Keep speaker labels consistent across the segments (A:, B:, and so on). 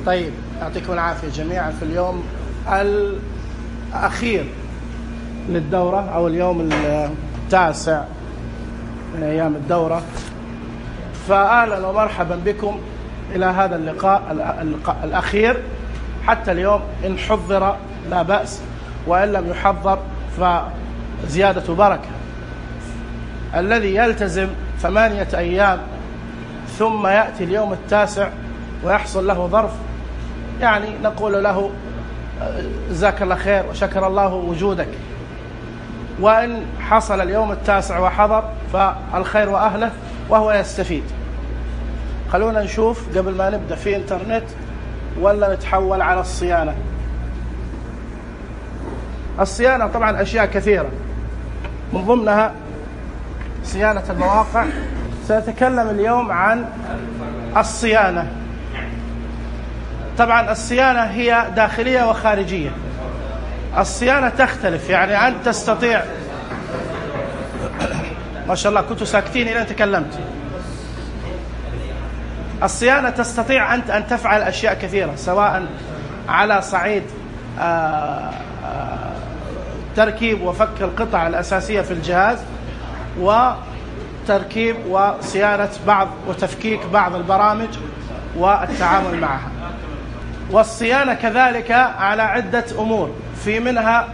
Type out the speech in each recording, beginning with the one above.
A: طيب، يعطيكم العافية جميعا. في اليوم الأخير للدورة أو اليوم التاسع من أيام الدورة، فأهلا ومرحبا بكم إلى هذا اللقاء الأخير. حتى اليوم إن حضر لا بأس، وإن لم يحضر فزيادة بركة. الذي يلتزم 8 أيام ثم يأتي اليوم التاسع ويحصل له ظرف، يعني نقول له جزاك الله خير وشكر الله وجودك. وإن حصل اليوم التاسع وحضر فالخير وأهله وهو يستفيد. خلونا نشوف قبل ما نبدأ في إنترنت ولا نتحول على الصيانة. الصيانة طبعا أشياء كثيرة، من ضمنها صيانة المواقع. سنتكلم اليوم عن الصيانة. طبعا الصيانة هي داخلية وخارجية. الصيانة تختلف، يعني أنت تستطيع ما شاء الله كنتوا ساكتين إلى أن تكلمت. الصيانة تستطيع أنت أن تفعل أشياء كثيرة، سواء على صعيد تركيب وفك القطع الأساسية في الجهاز، وتركيب وصيانة بعض وتفكيك بعض البرامج والتعامل معها. والصيانة كذلك على عدة أمور، في منها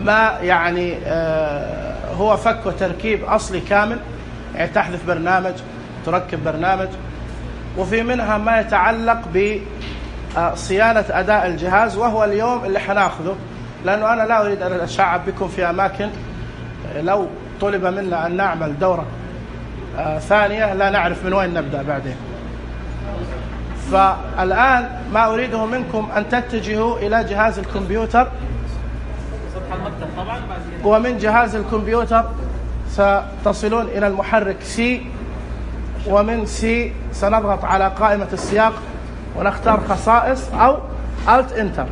A: ما يعني هو فك وتركيب أصلي كامل، يعني تحذف برنامج تركب برنامج. وفي منها ما يتعلق بصيانة أداء الجهاز، وهو اليوم اللي حناخذه، لأنه أنا لا أريد أن أشعب بكم في أماكن لو طلب منا أن نعمل دورة ثانية لا نعرف من وين نبدأ بعدين. فالآن ما أريده منكم أن تتجهوا إلى جهاز الكمبيوتر، ومن جهاز الكمبيوتر ستصلون إلى المحرك سي، ومن سي سنضغط على قائمة السياق ونختار خصائص أو Alt Enter.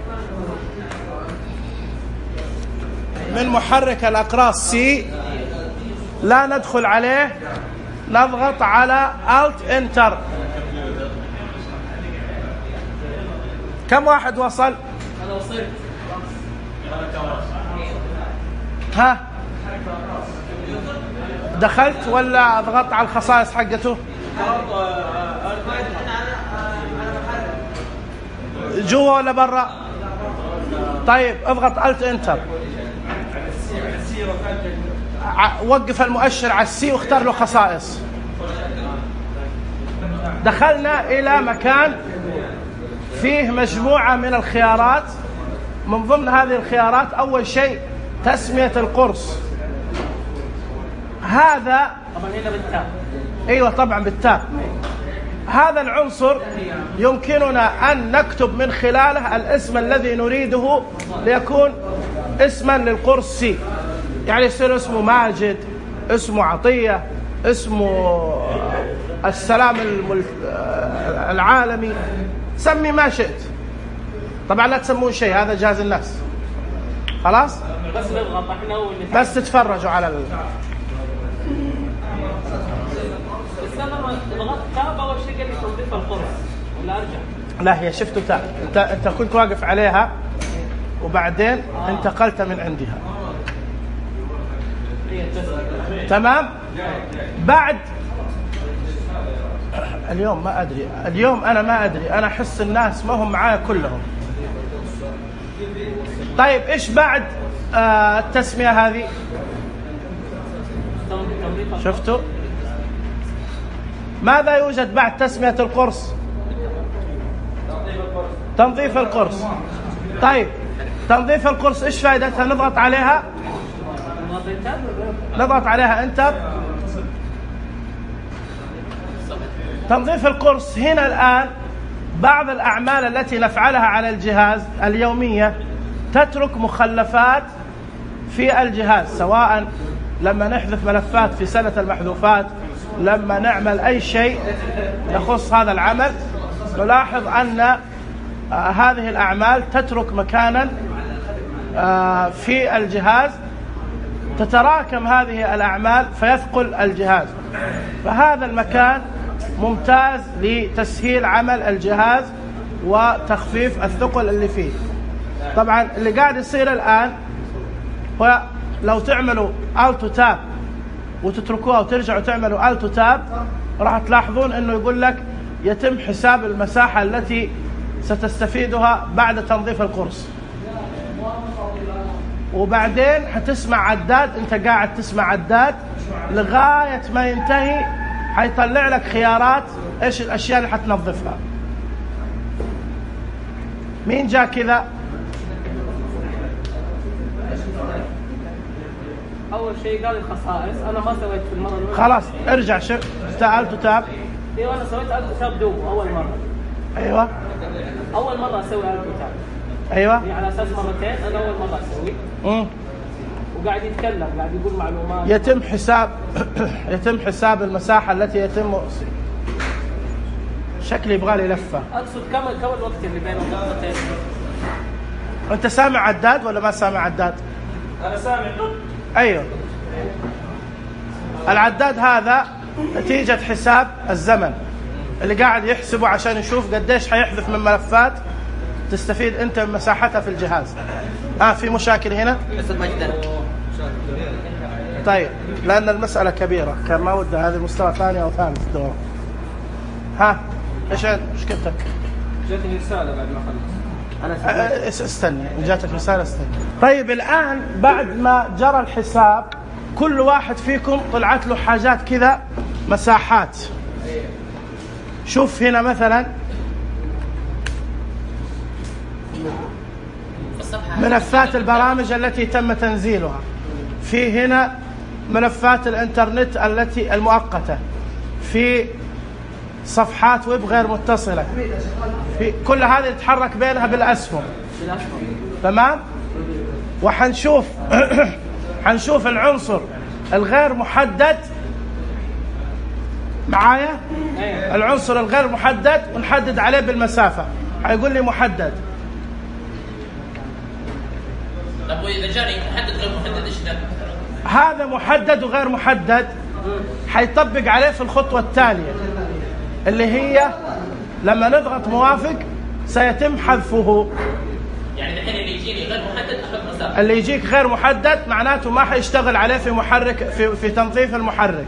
A: من محرك الأقراص سي لا ندخل عليه، نضغط على Alt Enter. كم واحد وصل؟ أنا وصلت. ها دخلت ولا ضغطت على الخصائص حقته؟ جوا ولا برا؟ طيب اضغط Alt Enter، وقف المؤشر على السي واختار له خصائص. دخلنا إلى مكان فيه مجموعة من الخيارات. من ضمن هذه الخيارات أول شيء تسمية القرص. هذا طبعا هنا بالتاء. أيوة طبعا بالتاء. هذا العنصر يمكننا أن نكتب من خلاله الاسم الذي نريده ليكون اسما للقرص سي، يعني يصير اسمه ماجد، اسمه عطية، اسمه السلام العالمي، سمي ما شئت. طبعا لا تسمون شيء، هذا جهاز الناس. خلاص بس نضغط احنا بس تتفرجوا على ضغطت تاب اول شيء قال لي توظيف القرص ولا ارجع؟ لا، هي شفتوا تاب، انت كنت واقف عليها وبعدين انتقلت من عندها. تمام. بعد اليوم ما أدري، اليوم أنا ما أدري، أنا أحس الناس ما هم معايا كلهم. طيب إيش بعد التسمية هذه؟ شفتوا؟ ماذا يوجد بعد تسمية القرص؟ تنظيف القرص. طيب تنظيف القرص إيش فائدتها؟ نضغط عليها، نضغط عليها انتر. تنظيف القرص هنا الآن بعض الأعمال التي نفعلها على الجهاز اليومية تترك مخلفات في الجهاز، سواء لما نحذف ملفات في سلة المحذوفات، لما نعمل أي شيء يخص هذا العمل، نلاحظ أن هذه الأعمال تترك مكانا في الجهاز، تتراكم هذه الأعمال فيثقل الجهاز. فهذا المكان ممتاز لتسهيل عمل الجهاز وتخفيف الثقل اللي فيه. طبعا اللي قاعد يصير الآن هو لو تعملوا التو تاب وتتركوها وترجعوا تعملوا التو تاب راح تلاحظون انه يقول لك يتم حساب المساحة التي ستستفيدها بعد تنظيف القرص، وبعدين حتسمع عداد، انت قاعد تسمع عداد لغاية ما ينتهي، حيطلع لك خيارات ايش الاشياء اللي حتنظفها. مين جاء كذا؟
B: اول شيء قال الخصائص، انا ما سويت في المره الاولى.
A: خلاص ارجع شوف التو تاب.
B: ايوه انا سويت التو تاب دوب اول مره.
A: ايوه
B: اول مره اسوي التو تاب.
A: ايوه
B: يعني على اساس مرتين، انا اول مره اسوي. وقاعد يتكلم، قاعد يقول معلومات.
A: يتم حساب المساحه التي يتم. شكلي يبغى لي لفه.
B: اقصد كم الوقت اللي بين النقطتين.
A: انت سامع عداد ولا ما سامع عداد؟
B: انا سامع.
A: ايوه العداد هذا نتيجة حساب الزمن اللي قاعد يحسبه عشان يشوف قديش حيحذف من ملفات تستفيد انت من مساحتها في الجهاز. في مشاكل هنا؟ طيب لأن المسألة كبيرة كان ما ودها هذه مستوى ثاني أو ثالث دورة. ايش مشكلتك؟
B: جاتني رسالة بعد ما خلص.
A: استني جاتك رسالة استني. طيب الآن بعد ما جرى الحساب كل واحد فيكم طلعت له حاجات كذا مساحات. شوف هنا مثلا ملفات البرامج التي تم تنزيلها، في هنا ملفات الانترنت التي المؤقتة، في صفحات ويب غير متصلة، في كل هذه يتحرك بينها بالأسهم. تمام. وحنشوف حنشوف العنصر الغير محدد معايا، العنصر الغير محدد ونحدد عليه بالمسافة. هيقول لي محدد.
C: طب وإذا جاني محدد غير محدد ايش ده؟
A: هذا محدد وغير محدد حيطبق عليه في الخطوة التالية اللي هي لما نضغط موافق سيتم حذفه.
C: يعني الحين اللي يجيني غير محدد احط مسافة.
A: اللي يجيك غير محدد معناته ما حيشتغل عليه في محرك في تنظيف المحرك.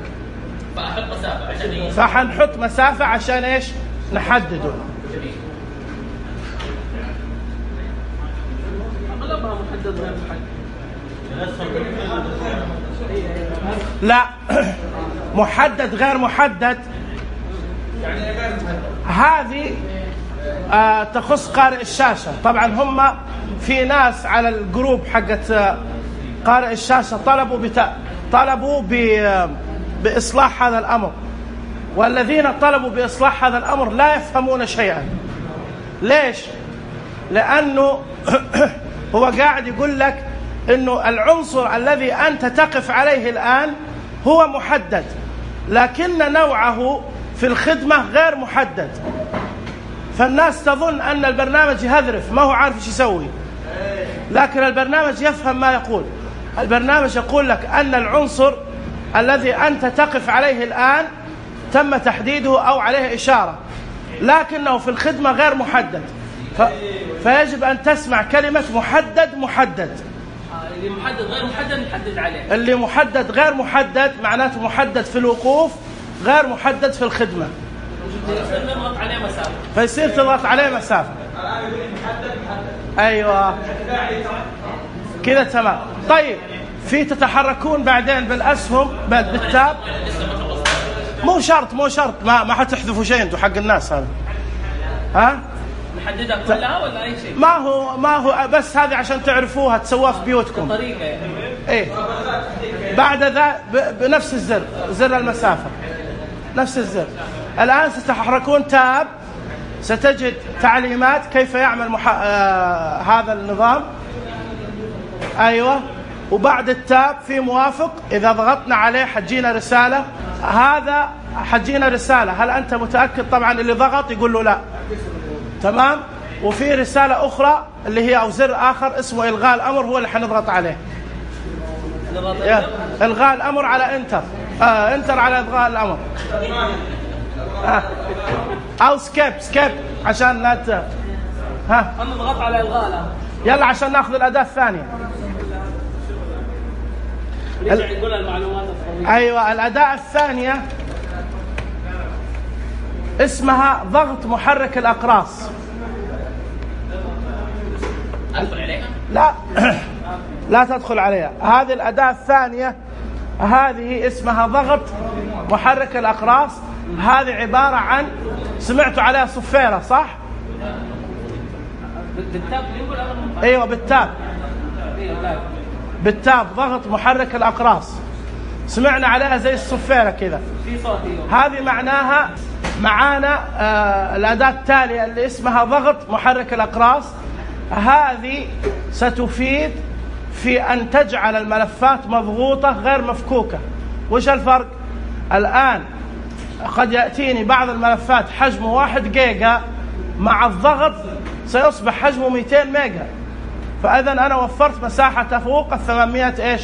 C: فاحط مسافة عشان ايش؟
A: فحنحط مسافة عشان ايش؟ نحدده.
B: اغلبها محدد غير محدد.
A: لا محدد غير محدد هذه تخص قارئ الشاشة. طبعا هم في ناس على الجروب حقت قارئ الشاشة طلبوا بإصلاح هذا الأمر، والذين طلبوا بإصلاح هذا الأمر لا يفهمون شيئا. ليش؟ لأنه هو قاعد يقول لك إنه العنصر الذي أنت تقف عليه الآن هو محدد، لكن نوعه في الخدمة غير محدد. فالناس تظن أن البرنامج يهذرف ما هو عارف ايش يسوي، لكن البرنامج يفهم ما يقول. البرنامج يقول لك أن العنصر الذي أنت تقف عليه الآن تم تحديده أو عليه إشارة، لكنه في الخدمة غير محدد. فيجب أن تسمع كلمة محدد محدد.
B: اللي محدد غير محدد نحدد عليه.
A: اللي محدد غير محدد معناته محدد في الوقوف غير محدد في الخدمة.
B: فيصير نضغط عليه مسافة.
A: فيصير تضغط عليه مسافة. أيوة كذا تمام. طيب في تتحركون بعدين بالأسهم بالتاب. مو شرط ما حتحذفوا شيء انتوا حق الناس هذا.
B: نحددها كلها ولا أي شيء؟
A: ما هو بس هذه عشان تعرفوها تسووها في بيوتكم.
B: طريقة يعني.
A: ايه بعد ذا بنفس الزر، زر المسافة نفس الزر. الآن ستتحركون تاب، ستجد تعليمات كيف يعمل هذا النظام. أيوة. وبعد التاب في موافق، إذا ضغطنا عليه حتجينا رسالة. هذا حتجينا رسالة هل أنت متأكد؟ طبعا اللي ضغط يقول له لا. تمام. وفي رسالة أخرى اللي هي أو زر آخر اسمه إلغاء الأمر، هو اللي حنضغط عليه. إلغاء الأمر على انتر. انتر على إلغاء الأمر. أو سكيب عشان لا ها
B: أنا ضغطت على إلغاء الآن.
A: يلا عشان ناخذ الأداة الثانية.
B: رجع يقول المعلومات الطويلة.
A: أيوة، الأداة الثانية اسمها ضغط محرك الأقراص.
C: أدخل عليها؟
A: لا لا تدخل عليها. هذه الأداة الثانية هذه اسمها ضغط محرك الأقراص. هذه عبارة عن، سمعتوا عليها صفيرة صح؟
B: بالتاب يقول أنا.
A: أيوة بالتاب. بالتاب ضغط محرك الأقراص، سمعنا عليها زي الصفيرة كذا.
B: في صوت.
A: هذه معناها معانا الأداة التالية اللي اسمها ضغط محرك الأقراص. هذه ستفيد في أن تجعل الملفات مضغوطة غير مفكوكة. وش الفرق؟ الآن قد يأتيني بعض الملفات حجمه 1 جيجا، مع الضغط سيصبح حجمه 200 ميجا، فإذا أنا وفرت مساحة تفوق 800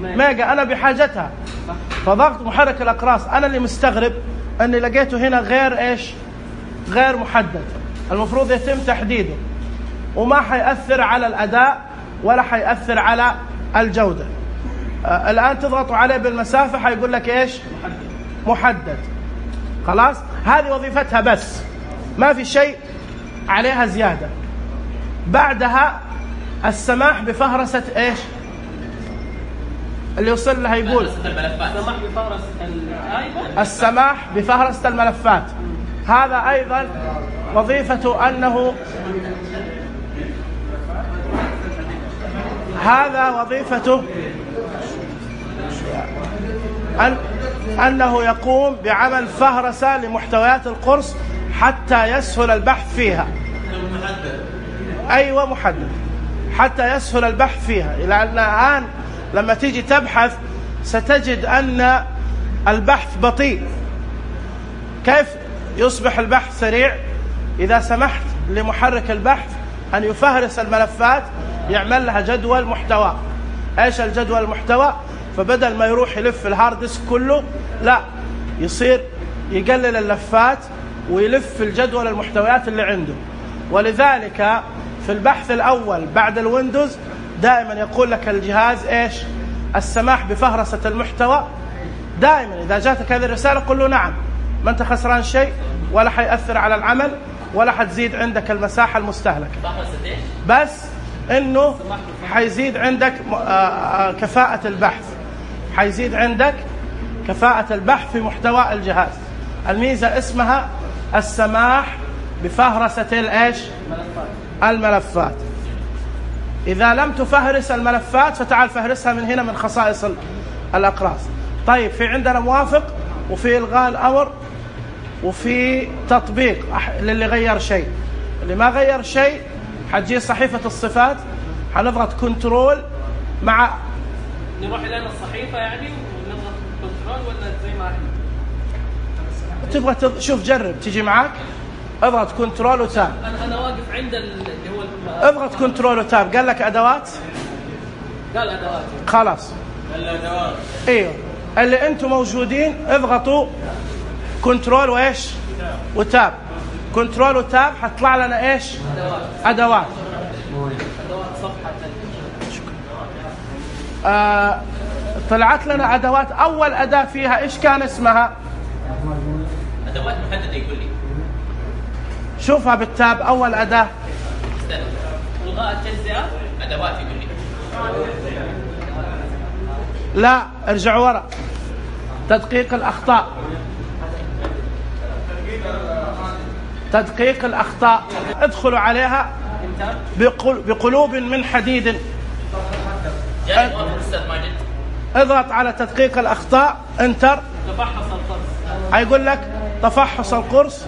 A: ميجا أنا بحاجتها. فضغط محرك الأقراص أنا اللي مستغرب أني لقيته هنا غير محدد. المفروض يتم تحديده، وما حيأثر على الأداء ولا حيأثر على الجودة. الآن تضغطوا عليه بالمسافة حيقول لك محدد. خلاص، هذه وظيفتها بس، ما في شيء عليها زيادة. بعدها السماح بفهرسة اللي يوصل لها يقول السماح بفهرسة الملفات. هذا أيضا وظيفته أنه يقوم بعمل فهرسة لمحتويات القرص حتى يسهل البحث فيها. أيوة محدد، حتى يسهل البحث فيها. لأن الآن لما تيجي تبحث ستجد أن البحث بطيء. كيف يصبح البحث سريع؟ إذا سمحت لمحرك البحث أن يفهرس الملفات، يعمل لها جدول محتوى. إيش الجدول المحتوى؟ فبدل ما يروح يلف الهارد ديسك كله، لا، يصير يقلل اللفات ويلف الجدول المحتويات اللي عنده. ولذلك في البحث الأول بعد الويندوز دائما يقول لك الجهاز السماح بفهرسة المحتوى. دائما إذا جاتك هذه الرسالة قل له نعم، ما أنت خسران شيء ولا حيأثر على العمل ولا حتزيد عندك المساحة المستهلكة، بس إنه حيزيد عندك كفاءة البحث، حيزيد عندك كفاءة البحث في محتوى الجهاز. الميزة اسمها السماح بفهرسة الملفات. إذا لم تفهرس الملفات فتعال فهرسها من هنا من خصائص الأقراص. طيب، في عندنا موافق، وفي إلغاء الأمر، وفي تطبيق للي غير شيء. اللي ما غير شيء حتجي صحيفة الصفات، حنضغط كنترول مع
B: نروح لنا الصحيفة يعني ونضغط كنترول ولا زي ما احنا؟
A: تبغى شوف جرب تيجي معاك، اضغط كنترول وتاب.
B: أنا واقف عند اللي هو
A: اضغط كنترول وتاب. قال لك أدوات؟
B: قال أدوات.
A: خلاص
B: الأدوات.
A: ايوه، اللي انتم موجودين اضغطوا كنترول وتاب. كنترول وتاب حتطلع لنا أدوات.
B: صفحة.
A: طلعت لنا أدوات. أول أداة فيها إيش كان اسمها؟
C: أدوات محددة يقول لي.
A: شوفها بالتاب. أول أداة
B: إلغاء التجزئة.
C: أدوات يقول لي.
A: لا، ارجعوا ورا. تدقيق الأخطاء. تدقيق الأخطاء، ادخلوا عليها بقلوب من حديد. اضغط على تدقيق الأخطاء، انتر.
B: تفحص القرص.
A: هيقول لك تفحص القرص،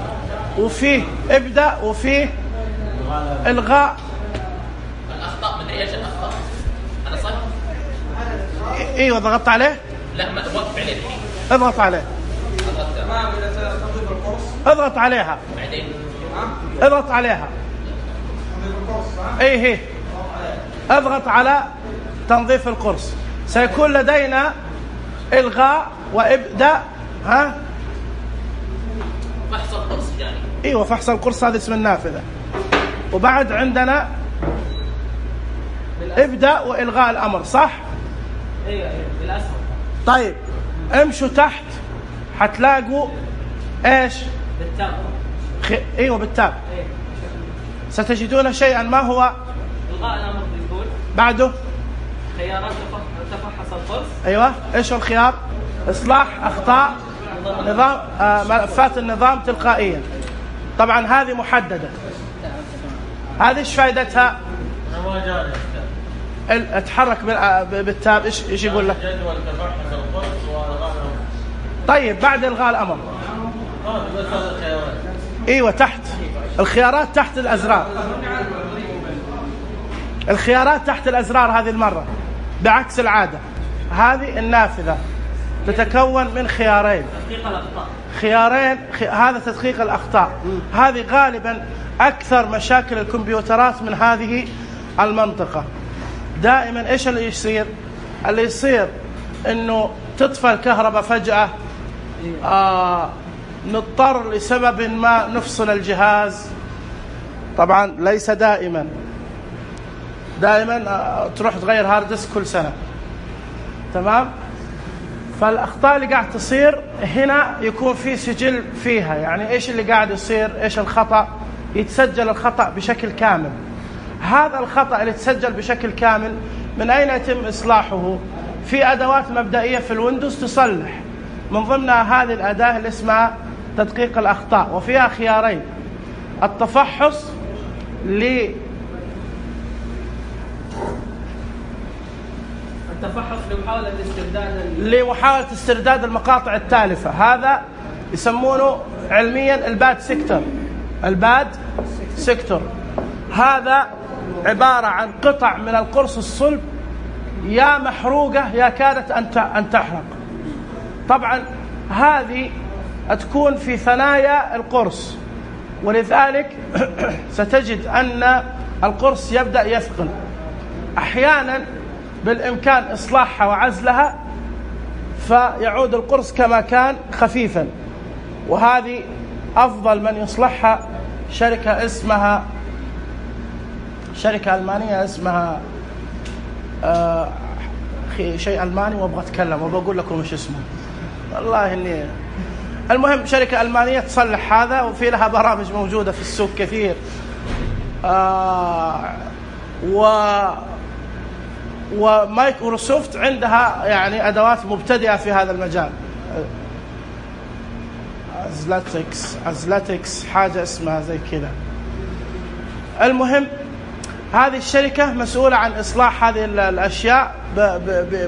A: وفيه ابدأ، وفيه إلغاء
C: الأخطاء. مدري ايش الأخطاء. أنا صح؟
A: ايوه، ضغطت عليه؟
C: لا، ما وقف عليه الحين.
A: اضغط عليه. اضغط عليها.
C: بعدين
A: اضغط عليها. ايه، اضغط على تنظيف القرص. سيكون لدينا إلغاء وإبدأ.
C: فحص القرص يعني.
A: ايوه، فحص القرص، هذا اسم النافذة. وبعد عندنا ابدأ وإلغاء الأمر، صح؟
B: ايوه بالاسهم.
A: طيب امشوا تحت حتلاقوا ايش؟
B: بالتاب.
A: ايوه بالتاب.
B: ايه.
A: ستجدون شيئا. ما هو؟
B: الغاء الامر بيقول
A: بعده
B: خيارات تفحص القرص.
A: ايوه. ايش الخيار؟ اصلاح اخطاء نظام ملفات النظام تلقائيا. طبعا هذه محددة. هذه ايش فائدتها؟ اتحرك بالتاب. ايش يقول لك؟
D: جدول تفحص القرص والغاء الامر.
A: طيب بعد الغاء الامر ايوه تحت الخيارات، تحت الازرار. الخيارات تحت الازرار هذه المرة بعكس العادة. هذه النافذة تتكون من خيارين.
B: تدقيق الاخطاء.
A: خيارين. هذا تدقيق الأخطاء. هذه غالبا أكثر مشاكل الكمبيوترات من هذه المنطقة. دائما إيش اللي يصير؟ اللي يصير إنه تطفى الكهرباء فجأة، نضطر لسبب ما نفصل الجهاز. طبعا ليس دائما تروح تغير هارد ديسك كل سنة، تمام؟ فالأخطاء اللي قاعد تصير هنا يكون في سجل فيها. يعني إيش اللي قاعد يصير؟ إيش الخطأ؟ يتسجل الخطأ بشكل كامل. هذا الخطأ اللي يتسجل بشكل كامل من أين يتم إصلاحه؟ في أدوات مبدئية في الويندوز تصلح، من ضمنها هذه الأداة اللي اسمها تدقيق الأخطاء، وفيها خيارين: التفحص
B: التفحص
A: لمحاولة استرداد المقاطع التالفة. هذا يسمونه علميا الباد سيكتور. الباد سيكتور هذا عبارة عن قطع من القرص الصلب يا محروقة يا كادت أن تحرق. طبعا هذه تكون في ثنايا القرص، ولذلك ستجد أن القرص يبدأ يثقل. أحيانا بالإمكان إصلاحها وعزلها فيعود القرص كما كان خفيفا، وهذه أفضل من يصلحها شركة ألمانية اسمها شيء ألماني، وأبغى أتكلم وبقول لكم إيش اسمه، والله إني المهم شركة ألمانية تصلح هذا، وفي لها برامج موجودة في السوق كثير. ومايكروسوفت عندها يعني أدوات مبتدئة في هذا المجال. أزلاتكس حاجة اسمها زي كذا. المهم هذه الشركة مسؤولة عن إصلاح هذه الأشياء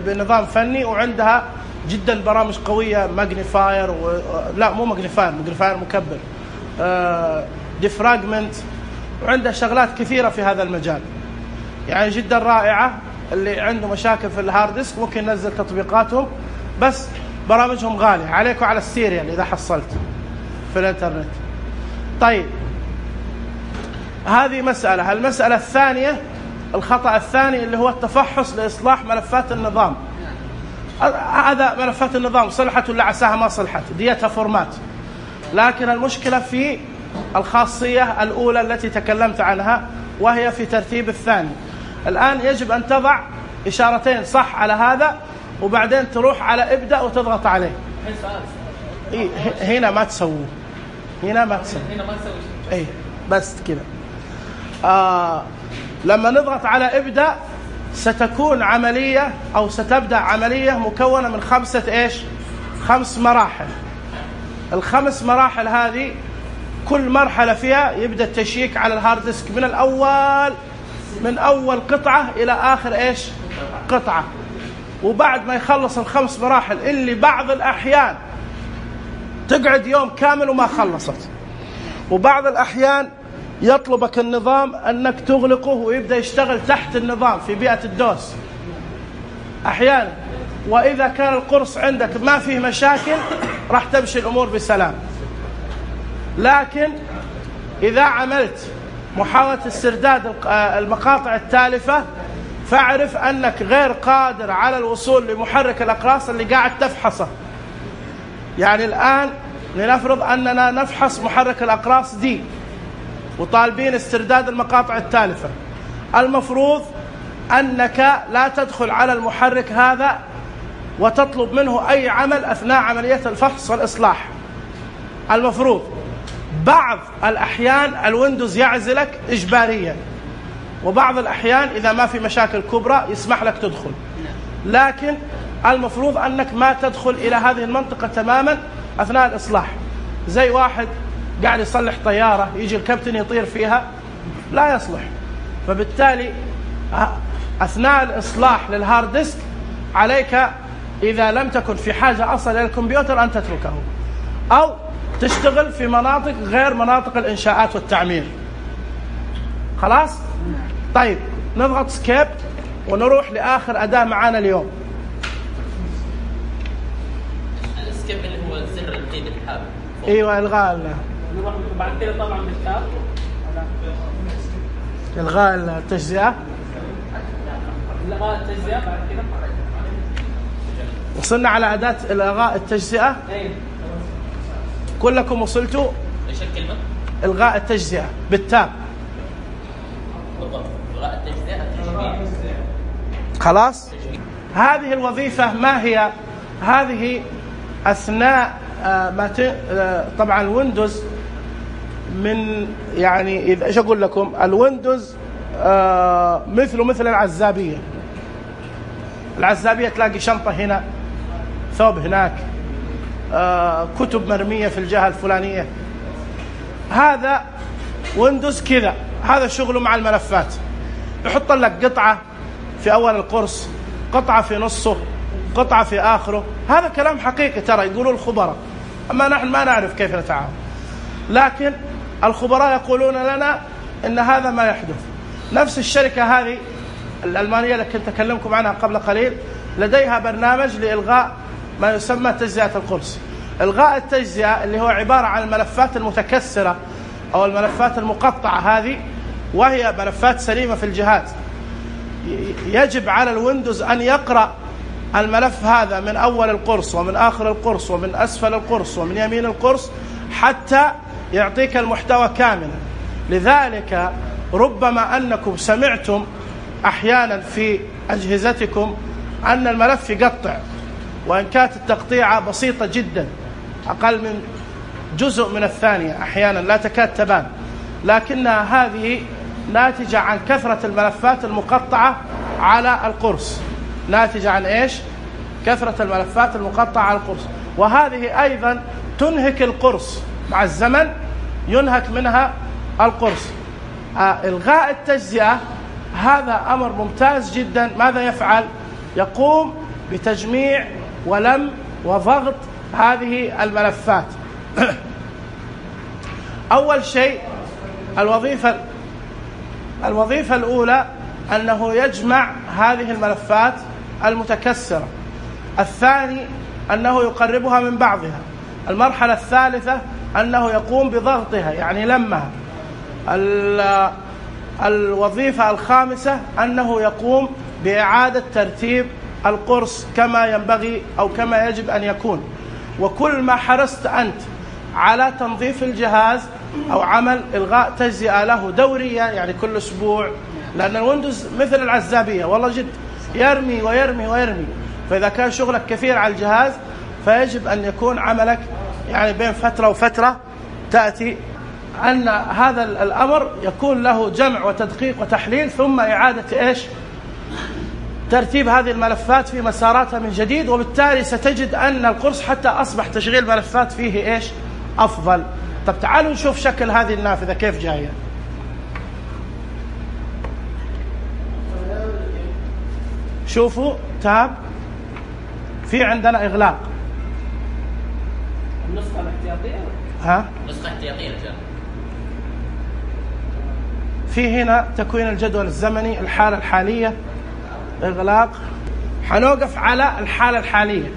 A: بنظام فني، وعندها جدا برامج قوية، ماجنيفاير لا مو ماجنيفاير مكبر، ديفراجمنت، وعندها شغلات كثيرة في هذا المجال يعني جدا رائعة. اللي عنده مشاكل في الهارد ديسك ممكن ينزل تطبيقاتهم، بس برامجهم غالية عليك وعلى السيريال إذا حصلت في الانترنت. طيب هذه مسألة. المسألة الثانية، الخطأ الثاني اللي هو التفحص لإصلاح ملفات النظام. هذا ملفات النظام صلحت ولا عساها ما صلحت، ديتها فورمات، لكن المشكلة في الخاصية الأولى التي تكلمت عنها، وهي في ترتيب الثاني. الآن يجب أن تضع إشارتين صح على هذا، وبعدين تروح على ابدأ وتضغط عليه. هنا ما تسوي ايه بس كذا. لما نضغط على ابدأ ستكون عملية أو ستبدأ عملية مكونة من 5 مراحل. ال5 مراحل هذه كل مرحلة فيها يبدأ التشيك على الهارد ديسك من أول قطعة إلى آخر قطعة. وبعد ما يخلص ال5 مراحل اللي بعض الأحيان تقعد يوم كامل وما خلصت، وبعض الأحيان يطلبك النظام أنك تغلقه ويبدأ يشتغل تحت النظام في بيئة الدوس أحيانا. وإذا كان القرص عندك ما فيه مشاكل راح تمشي الأمور بسلام. لكن إذا عملت محاولة استرداد المقاطع التالفة فاعرف أنك غير قادر على الوصول لمحرك الأقراص اللي قاعد تفحصه. يعني الآن لنفرض أننا نفحص محرك الأقراص دي، وطالبين استرداد المقاطع التالفة، المفروض أنك لا تدخل على المحرك هذا وتطلب منه أي عمل أثناء عملية الفحص والإصلاح. المفروض بعض الأحيان الويندوز يعزلك إجباريا، وبعض الأحيان إذا ما في مشاكل كبرى يسمح لك تدخل، لكن المفروض أنك ما تدخل إلى هذه المنطقة تماما أثناء الإصلاح. زي واحد قاعد يصلح طيارة يجي الكابتن يطير فيها، لا يصلح. فبالتالي أثناء الإصلاح للهارد ديسك عليك إذا لم تكن في حاجة أصلا إلى الكمبيوتر أن تتركه، أو تشتغل في مناطق غير مناطق الإنشاءات والتعمير. خلاص؟ طيب نضغط سكيب ونروح لآخر أداة معانا اليوم.
C: السكيب اللي هو زر القيد الحاب.
A: ايوه الغاء
B: نروح بعد كده طبعا بالتاب
A: الغاء التجزئة.
B: الغاء التجزئة بعد كده
A: وصلنا على أداة الغاء التجزئة. كلكم وصلتوا؟
C: ايش الكلمة؟
A: الغاء التجزئة بالتاب.
C: بالضبط، الغاء التجزئة تجميع.
A: خلاص؟ هذه الوظيفة ما هي؟ هذه أثناء ما طبعا الويندوز من يعني إذا ايش أقول لكم، الويندوز مثل العزابية. العزابية تلاقي شنطة هنا، ثوب هناك، كتب مرمية في الجهة الفلانية. هذا ويندوز كذا، هذا شغله مع الملفات. يحط لك قطعة في أول القرص، قطعة في نصه، قطعة في آخره. هذا كلام حقيقي ترى يقولوا الخبراء، أما نحن ما نعرف كيف نتعامل، لكن الخبراء يقولون لنا إن هذا ما يحدث. نفس الشركة هذه الألمانية اللي كنت أكلمكم عنها قبل قليل لديها برنامج لإلغاء ما يسمى تجزئة القرص. إلغاء التجزئة اللي هو عبارة عن الملفات المتكسرة أو الملفات المقطعة هذه، وهي ملفات سليمة في الجهاز. يجب على الويندوز أن يقرأ الملف هذا من أول القرص ومن آخر القرص ومن أسفل القرص ومن يمين القرص حتى يعطيك المحتوى كاملا. لذلك ربما أنكم سمعتم أحيانا في أجهزتكم أن الملف يقطع، وإن كانت التقطيعة بسيطة جدا أقل من جزء من الثانية، أحيانا لا تكاد تبان، لكنها هذه ناتجة عن كثرة الملفات المقطعة على القرص. ناتجة عن إيش؟ كثرة الملفات المقطعة على القرص. وهذه أيضا تنهك القرص، مع الزمن ينهك منها القرص. إلغاء التجزئة هذا أمر ممتاز جدا. ماذا يفعل؟ يقوم بتجميع ولم وضغط هذه الملفات. أول شيء الوظيفة الأولى أنه يجمع هذه الملفات المتكسرة. الثاني أنه يقربها من بعضها. المرحلة الثالثة أنه يقوم بضغطها يعني لمها. الوظيفة الخامسة أنه يقوم بإعادة ترتيب القرص كما ينبغي أو كما يجب أن يكون. وكل ما حرصت أنت على تنظيف الجهاز أو عمل إلغاء تجزئة له دورية، يعني كل أسبوع، لأن الويندوز مثل العزابية والله جد يرمي ويرمي ويرمي. فإذا كان شغلك كثير على الجهاز فيجب أن يكون عملك يعني بين فترة وفترة تأتي أن هذا الأمر يكون له جمع وتدقيق وتحليل، ثم إعادة إيش؟ ترتيب هذه الملفات في مساراتها من جديد. وبالتالي ستجد أن القرص حتى أصبح تشغيل ملفات فيه إيش؟ أفضل. طب تعالوا نشوف شكل هذه النافذة كيف جاية. شوفوا تاب، في عندنا إغلاق.
B: النسخة الاحتياطية؟
C: نسخة احتياطية رجال.
A: في هنا تكوين الجدول الزمني، الحالة الحالية، إغلاق. حنوقف على الحالة الحالية،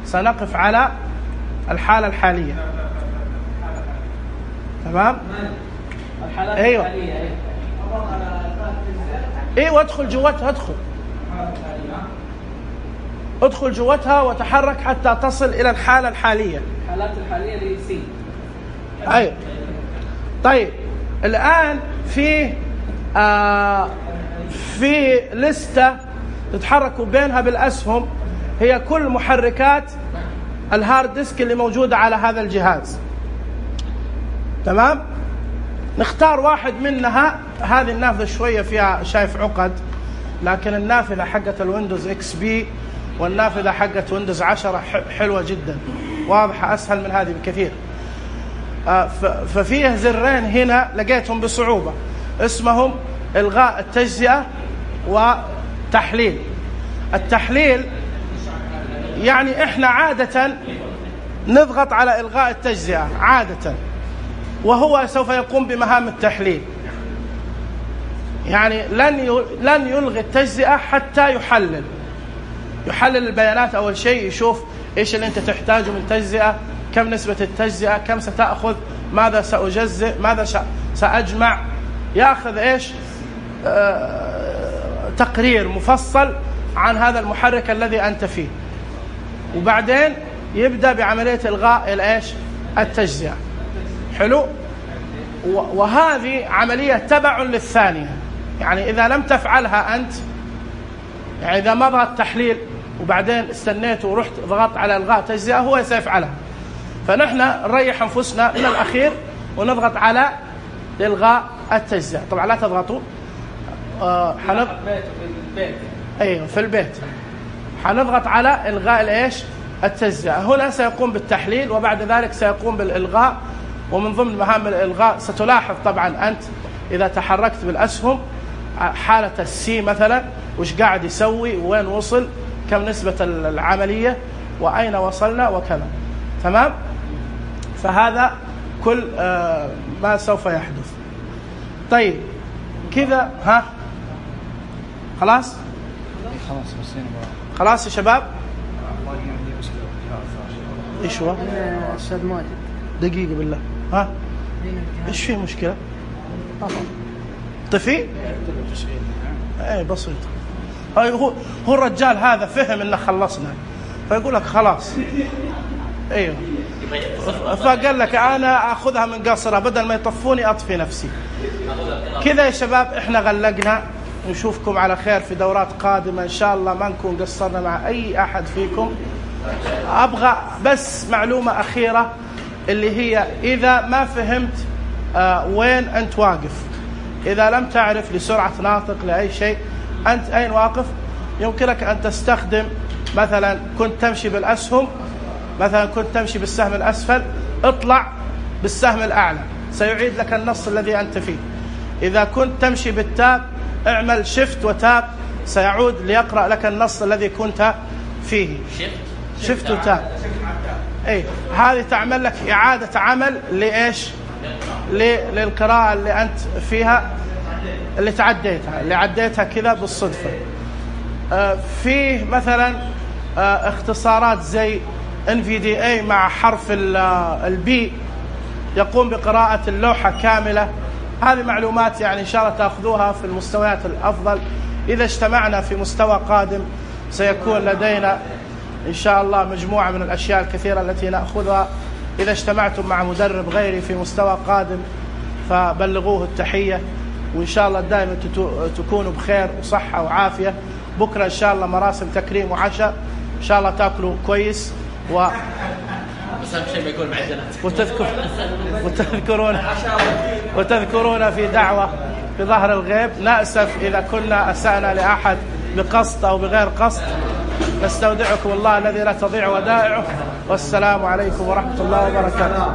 A: سنقف على الحالة الحالية. تمام؟
B: الحالات
A: أيوة.
B: الحالية
A: ايوه ادخل جوتها، ادخل جوتها وتحرك حتى تصل إلى الحالة الحالية.
B: الحالات الحالية اللي سي.
A: أيوة. طيب الآن في لستة تتحركوا بينها بالأسهم، هي كل محركات الهارد ديسك اللي موجودة على هذا الجهاز. تمام؟ نختار واحد منها. هذه النافذة شوية فيها شايف عقد، لكن النافذة حقت الويندوز اكس بي والنافذة حقت ويندوز 10 حلوة جدا، واضحة، أسهل من هذه بكثير. ففيه زرين هنا لقيتهم بصعوبة، اسمهم إلغاء التجزئة وتحليل. التحليل يعني إحنا عادة نضغط على إلغاء التجزئة عادة، وهو سوف يقوم بمهام التحليل. يعني لن يلغي التجزئة حتى يحلل البيانات. أول شيء يشوف إيش اللي أنت تحتاجه من تجزئة، كم نسبة التجزئة، كم ستأخذ، ماذا سأجزئ، ماذا سأجمع، يأخذ إيش تقرير مفصل عن هذا المحرك الذي أنت فيه، وبعدين يبدأ بعملية إلغاء الإيش التجزئة. حلو. وهذه عملية تبع للثانية، يعني إذا لم تفعلها أنت، يعني إذا ما ضغط تحليل وبعدين استنيت ورحت ضغطت على إلغاء تجزئة هو سيفعلها. فنحن نريح أنفسنا من الأخير ونضغط على إلغاء التجزئة. طبعا لا تضغطوا أيوه في البيت حنضغط على إلغاء الإيش التجزئة. هنا سيقوم بالتحليل وبعد ذلك سيقوم بالإلغاء. ومن ضمن مهام الإلغاء ستلاحظ طبعا أنت إذا تحركت بالأسهم حالة السي مثلا وش قاعد يسوي وين وصل، كم نسبة العملية وأين وصلنا وكذا. تمام. فهذا كل ما سوف يحدث. طيب كذا خلاص خلاص يا شباب. ايش هو
E: استاذ ماجد
A: دقيقة بالله. ايش فيه مشكلة؟ طفي اي بسيط. هو الرجال هذا فهم ان خلصنا فيقول لك خلاص. ايوه فقال لك انا اخذها من قصرها بدل ما يطفوني اطفي نفسي. كذا يا شباب احنا غلقنا. نشوفكم على خير في دورات قادمة إن شاء الله، ما نكون قصرنا مع أي أحد فيكم. أبغى بس معلومة أخيرة اللي هي إذا ما فهمت وين أنت واقف، إذا لم تعرف لسرعة ناطق لأي شيء أنت أين واقف، يمكنك أن تستخدم مثلا كنت تمشي بالأسهم، مثلا كنت تمشي بالسهم الأسفل، اطلع بالسهم الأعلى سيعيد لك النص الذي أنت فيه. إذا كنت تمشي بالتاب اعمل شيفت وتاب سيعود ليقرأ لك النص الذي كنت فيه. شيفت وتاب اي هذه تعمل لك إعادة عمل لإيش للقراءة اللي أنت فيها اللي عديتها كذا بالصدفة. فيه مثلا اختصارات زي NVDA مع حرف البي يقوم بقراءة اللوحة كاملة. هذه معلومات يعني إن شاء الله تأخذوها في المستويات الأفضل. إذا اجتمعنا في مستوى قادم سيكون لدينا إن شاء الله مجموعة من الأشياء الكثيرة التي نأخذها. إذا اجتمعتم مع مدرب غيري في مستوى قادم فبلغوه التحية، وإن شاء الله دائما تكونوا بخير وصحة وعافية. بكرة إن شاء الله مراسم تكريم وعشاء، إن شاء الله تأكلوا كويس
C: بس أهم شيء ما يكون معجنات.
A: وتذكرون في دعوة في ظهر الغيب. نأسف إذا كنا أسأنا لأحد بقصد أو بغير قصد. نستودعكم الله الذي لا تضيع ودائعه، والسلام عليكم ورحمة الله وبركاته.